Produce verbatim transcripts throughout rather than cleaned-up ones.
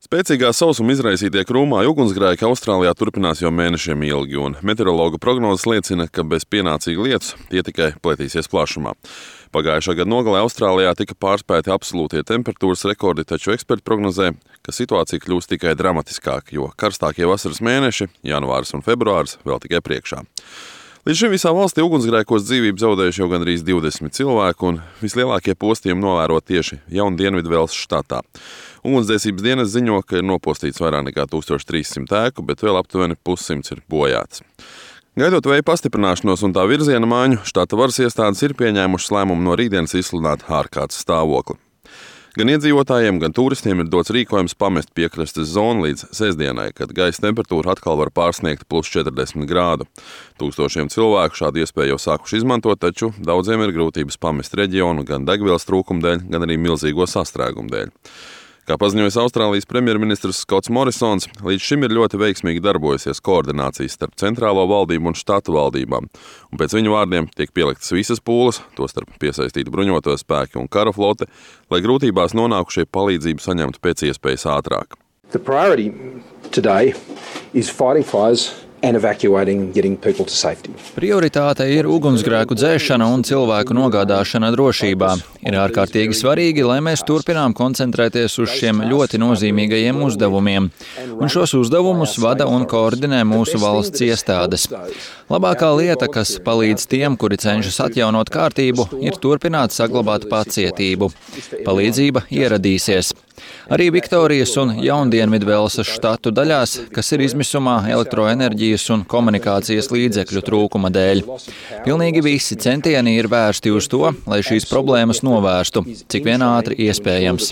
Spēcīgā sausuma izraisītie krūmāji ugunsgrēki Austrālijā turpinās jau mēnešiem ilgi, un meteorologu prognozes liecina, ka bez pienācīga lietus tie tikai pletīsies plašumā. Pagājušā gada nogalē Austrālijā tika pārspēti absolūtie temperatūras rekordi, taču eksperti prognozē, ka situācija kļūs tikai dramatiskāka, jo karstākie vasaras mēneši, janvāris un februāris, vēl tikai priekšā. Līdz šim visā valstī ugunsgrēkos dzīvību zaudējuši jau gandrīz divdesmit cilvēku, un vislielākie postījumi novērot tieši Jaunu Dienvidvelsas štatā. Ugunsdzēsības dienas ziņo, ka ir nopostīts vairāk nekā tūkstoš trīs simt ēku, bet vēl aptuveni pussimts ir bojāts. Gaidot vēja pastiprināšanos un tā virziena maiņu, štata varas iestādes ir pieņēmušas lēmumu no rītdienas izsludināt ārkārtas stāvokli. Gan iedzīvotājiem, gan turistiem ir dots rīkojums pamest piekrastes zonu līdz sestdienai, kad gaisa temperatūra atkal var pārsniegt plus četrdesmit grādu. Tūkstošiem cilvēku šādu iespēju jau sākuši izmantot, taču daudziem ir grūtības pamest reģionu gan degvielas trūkuma dēļ, gan arī milzīgo sastrēgumu dēļ. Kā paziņojis Austrālijas premjerministrs Skots Morisons, līdz šim ir ļoti veiksmīgi darbojusies koordinācijas starp centrālo valdību un štatu valdībām, un pēc viņa vārdiem tiek pieliktas visas pūles, tostarp piesaistīti bruņoto spēki un kara flote, lai grūtībās nonākušie palīdzību saņemtu pēc iespējas ātrāk. The priority today is fighting fires and evacuating and getting people to safety. Prioritāte ir ugunsgrēku dzēšana un cilvēku nogādāšana drošībā. Ir ārkārtīgi svarīgi, lai mēs turpinām koncentrēties uz šiem ļoti nozīmīgajiem uzdevumiem. Un šos uzdevumus vada un koordinē mūsu valsts iestādes. Labākā lieta, kas palīdz tiem, kuri cenšas atjaunot kārtību, ir turpināt saglabāt pacietību. Palīdzība ieradīsies. Arī Viktorijas un Jaundienvidvelsas štatu daļās, kas ir izmisumā elektroenerģijas un komunikācijas līdzekļu trūkuma dēļ. Pilnīgi visi centieni ir vērsti uz to, lai šīs problēmas novērstu, cik vien ātri iespējams.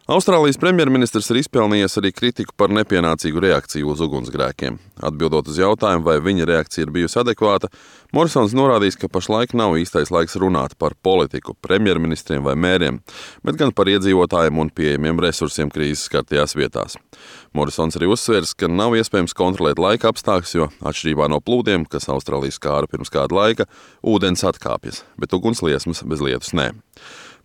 Austrālijas premjerministrs ir izpelnījies arī kritiku par nepienācīgu reakciju uz ugunsgrēkiem. Atbildot uz jautājumu, vai viņa reakcija ir bijusi adekvāta, Morisons norādījis, ka pašlaik nav īstais laiks runāt par politiku, premjerministriem vai mēriem, bet gan par iedzīvotājiem un pieejamiem resursiem krīzes skartajās vietās. Morisons arī uzsvērs, ka nav iespējams kontrolēt laika apstākļus, jo atšķirībā no plūdiem, kas Austrālijas skāra pirms kāda laika, ūdens atkāpjas, bet ugunsliesmas bez lietus nē.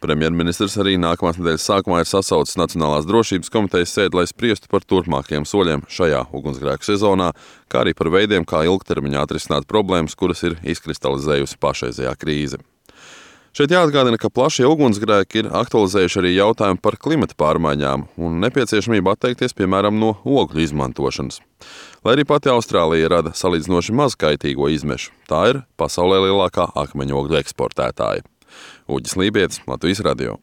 Premjerministrs arī nākamās nedēļas sākumā ir sasaucis Nacionālās drošības komitejas sēdi, lai spriestu par turpmākajiem soļiem šajā ugunsgrēku sezonā, kā arī par veidiem, kā ilgtermiņā atrisināt problēmas, kuras ir izkristalizējusi pašreizējā krīze. Šeit jāatgādina, ka plašie ugunsgrēki ir aktualizējuši arī jautājumu par klimata pārmaiņām un nepieciešamību atteikties, piemēram, no ogļu izmantošanas. Lai arī pati Austrālija rada salīdzinoši maz kaitīgo izmešu, tā ir pasaulē lielākā akmeņogļu eksportētāja. Uģis Lībietis, Latvijas radio.